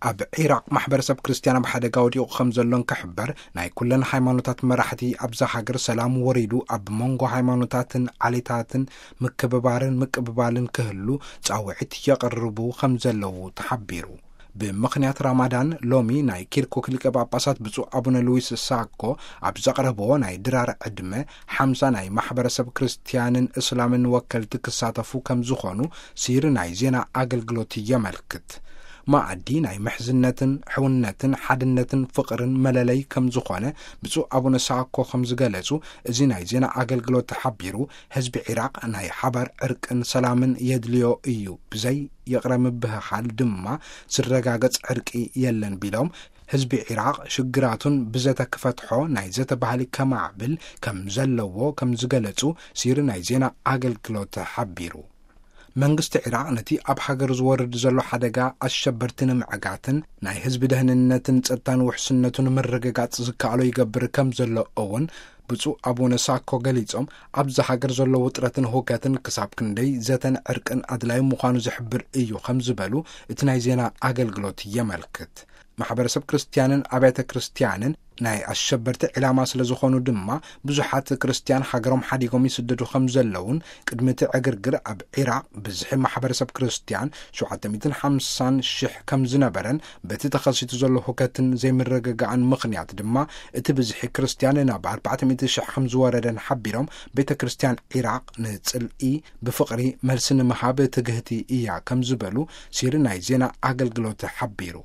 ኣብ ዒራቕ ማሕበረሰብ ክርስትያን ኣብ ሓደጋ ወዲቑ ከም ዘሎን ክሕበር፣ ናይ ኩለን ሃይማኖታት መራሕቲ ኣብዛ ሃገር ሰላም ወሪዱ ኣብ መንጎ ሃይማኖታትን ዓሌታትን ምክብባርን ምቅብባልን ክህሉ ጻውዒት የቕርቡ ከም ዘለዉ ተሓቢሩ። ብምኽንያት ራማዳን ሎሚ ናይ ኪርኩክ ሊቀ ጳጳሳት ብፁዕ ኣቡነ ሉዊስ ሳኮ ኣብ ዘቕረብዎ ናይ ድራር ዕድመ ሓምሳ ናይ ማሕበረሰብ ክርስትያንን እስላምን ወከልቲ ክሳተፉ ከም ዝኾኑ ሲሪ ናይ ዜና ኣገልግሎት የመልክት። ማኣዲ ናይ ምሕዝነትን ሕውነትን ሓድነትን ፍቕርን መለለይ ከም ዝኾነ ብፁዕ ኣቡነ ሳኮ ከም ዝገለጹ እዚ ናይ ዜና ኣገልግሎት ተሓቢሩ፣ ህዝቢ ዒራቕ ናይ ሓባር ዕርቅን ሰላምን የድልዮ እዩ፣ ብዘይ ይቕረ ምብህሃል ድማ ዝረጋገጽ ዕርቂ የለን ቢሎም፣ ህዝቢ ዒራቕ ሽግራቱን ብዘተ ክፈትሖ ናይ ዘተ ባህሊ ከማዕብል ከም ዘለዎ ከም ዝገለጹ ሲሪ ናይ ዜና ኣገልግሎት ሓቢሩ። መንግስቲ ዒራቕ ነቲ ኣብ ሃገር ዝወርድ ዘሎ ሓደጋ ኣሸበርቲ ንምዕጋትን ናይ ህዝቢ ደህንነትን ጸጥታን ውሕስነቱን ምርግጋጽ ዝከኣሎ ይገብር ከም ዘሎ እውን ብፁዕ ኣቡነ ሳኮ ገሊጾም፣ ኣብዚ ሃገር ዘሎ ውጥረትን ሁከትን ክሳብ ክንደይ ዘተን ዕርቅን ኣድላይ ምዃኑ ዝሕብር እዩ ከም ዝበሉ እቲ ናይ ዜና ኣገልግሎት የመልክት። ማሕበረሰብ ክርስትያንን ኣብያተ ክርስትያንን ናይ ኣሸበርቲ ዕላማ ስለ ዝኾኑ ድማ ብዙሓት ክርስትያን ሃገሮም ሓዲጎም ይስደዱ ከም ዘለውን ቅድሚ እቲ ዕግርግር ኣብ ዒራቕ ብዝሒ ማሕበረሰብ ክርስትያን ሸውዓተ ሚእትን ሓምሳን ሽሕ ከም ዝነበረን በቲ ተኸሲቱ ዘሎ ሁከትን ዘይምርግጋእን ምኽንያት ድማ እቲ ብዝሒ ክርስትያን ናብ ኣርባዕተ ሚእቲ ሽሕ ከም ዝወረደን ሓቢሮም፣ ቤተ ክርስትያን ዒራቕ ንጽልኢ ብፍቕሪ መልሲ ንምሃብ ትግህቲ እያ ከም ዝበሉ ሲሪ ናይ ዜና ኣገልግሎት ሓቢሩ።